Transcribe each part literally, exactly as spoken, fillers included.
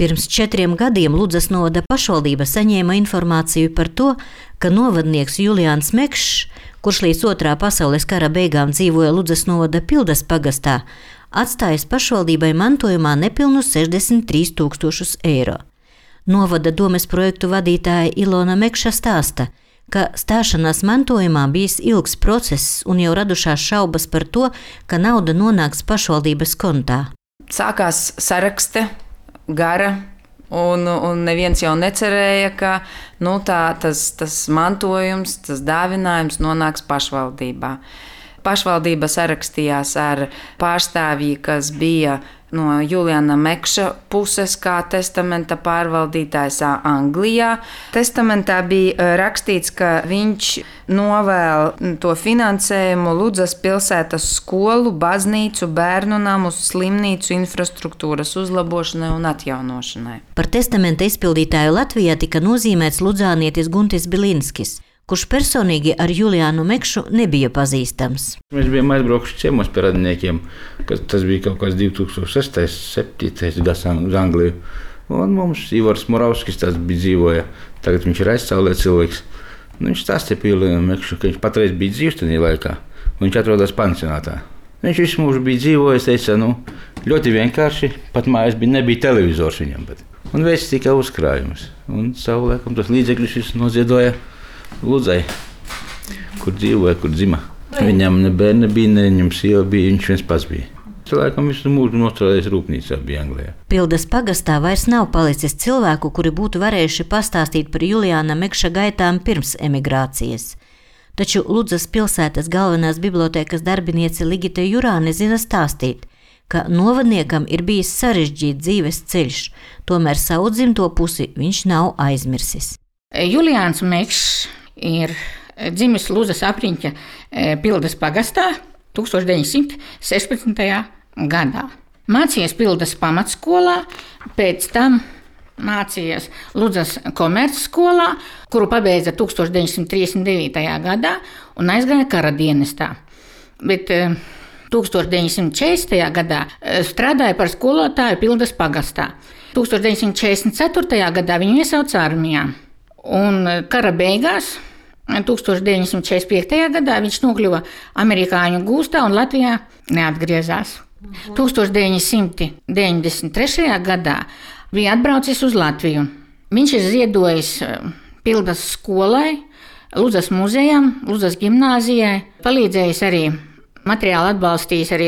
Pirms četriem gadiem Ludzas novada pašvaldība saņēma informāciju par to, ka novadnieks Juliāns Mekšs, kurš līdz otrā pasaules kara beigām dzīvoja Ludzas novada Pildas pagastā, atstājis pašvaldībai mantojumā nepilnus sešdesmit trīs tūkstošus eiro. Novada domes projektu vadītāja Ilona Mekša stāsta, ka stāšanās mantojumā bijis ilgs process un jau radušās šaubas par to, ka nauda nonāks pašvaldības kontā. Sākās sarakste gara, un, un neviens jau necerēja, ka nu, tā, tas, tas mantojums, tas dāvinājums nonāks pašvaldībā. Pašvaldība sarakstījās ar pārstāvji, kas bija no Juliāna Mekša puses, kā testamenta pārvaldītājs Anglijā. Testamentā bija rakstīts, ka viņš novēl to finansējumu Ludzas pilsētas skolu, baznīcu, bērnu namus, slimnīcu infrastruktūras uzlabošanai un atjaunošanai. Par testamenta izpildītāju Latvijā tika nozīmēts ludzānietis Guntis Bilinskis, kurš personīgi ar Juliānu Mekšu nebija pazīstams. Mēs bijām aizbraukuši ciemos pie radiniekiem, kas tas bija kaut kāds divi tūkstoši sestais, septītais gads uz Angliju. Un mums Ivars Moravskis tāds bija dzīvoja, tagad viņš ir aizcēlē cilvēks. Nu, viņš stāstīja par Juliānu Mekšu, ka viņš patreiz bija dzīvs tajā laikā, un viņš atrodās pansionātā. Viņš visu mūžu bija dzīvojis, teica, nu, ļoti vienkārši, pat mājās bija, nebija televizors viņam, bet. Un veids tikai uzkrājums, un savu laikam tos līdzekļus visu noziedoja Ludzai, kur dzīvoja, kur dzima. Viņam ne bērni bija, ne viņam sieva bija, viņš viens pats bija. Cilvēkam visu mūžu nostrādājis rūpnīcā bija Anglijā. Pildas pagastā vairs nav palicis cilvēku, kuri būtu varējuši pastāstīt par Juliāna Mekša gaitām pirms emigrācijas. Taču Ludzas pilsētas galvenās bibliotēkas darbiniece Ligita Jurāne zina stāstīt, ka novadniekam ir bijis sarežģīts dzīves ceļš, tomēr savu dzimto pusi viņš nav aizmirsis. Juliāns Mekšs ir dzimis Ludzas apriņķa Pildas pagastā tūkstoš deviņsimt sešpadsmitajā gadā. Mācījies Pildas pamatskolā, pēc tam mācījies Ludzas komercskolā, kuru pabeidza tūkstoš deviņsimt trīsdesmit devītajā gadā un aizgāja kara dienestā. Bet tūkstoš deviņsimt četrdesmitajā gadā strādāja par skolotāju Pildas pagastā. tūkstoš deviņsimt četrdesmit ceturtajā gadā viņu iesauca armijā. Un kara beigās, tūkstoš deviņsimt četrdesmit piektajā gadā, viņš nokļuva amerikāņu gūstā un Latvijā neatgriezās. tūkstoš deviņsimt deviņdesmit trešajā gadā bija atbraucis uz Latviju. Viņš ir ziedojis Pildas skolai, Ludzas muzejam, Ludzas gimnāzijai, palīdzējis arī materiāli atbalstījis arī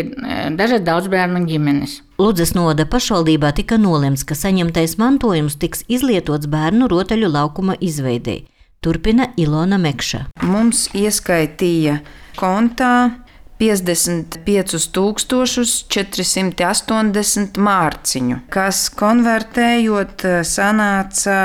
dažas daudzbērnu ģimenes. Ludzas novada pašvaldībā tika nolemts, ka saņemtais mantojums tiks izlietots bērnu rotaļu laukuma izveidei. Turpina Ilona Mekša. Mums ieskaitīja kontā piecdesmit piecus tūkstošus četri simti astoņdesmit mārciņu, kas konvertējot sanāca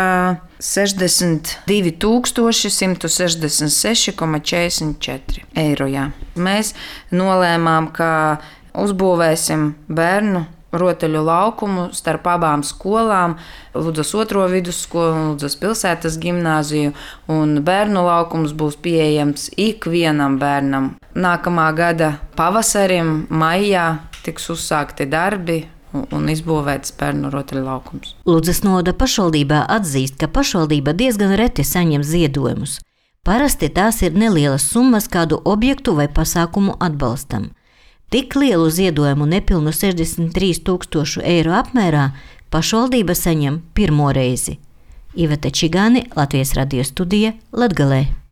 sešdesmit divi tūkstoši simt sešdesmit seši komats četrdesmit četri eiro. Mēs nolēmām, ka uzbūvēsim bērnu rotaļu laukumu starp abām skolām, Ludzas otro vidusskolu un Ludzas pilsētas gimnāziju, un bērnu laukums būs pieejams ikvienam bērnam. Nākamā gada pavasarim, maijā tiks uzsākti darbi un izbūvēts bērnu rotaļu laukums. Ludzas novada pašvaldībā atzīst, ka pašvaldība diezgan reti saņem ziedojumus. Parasti tās ir nelielas summas kādu objektu vai pasākumu atbalstam. Tik lielu ziedojumu nepilnu sešdesmit trīs tūkstošu eiro apmērā pašvaldība saņem pirmo reizi. Iveta Čigāni, Latvijas radio studija, Latgalē.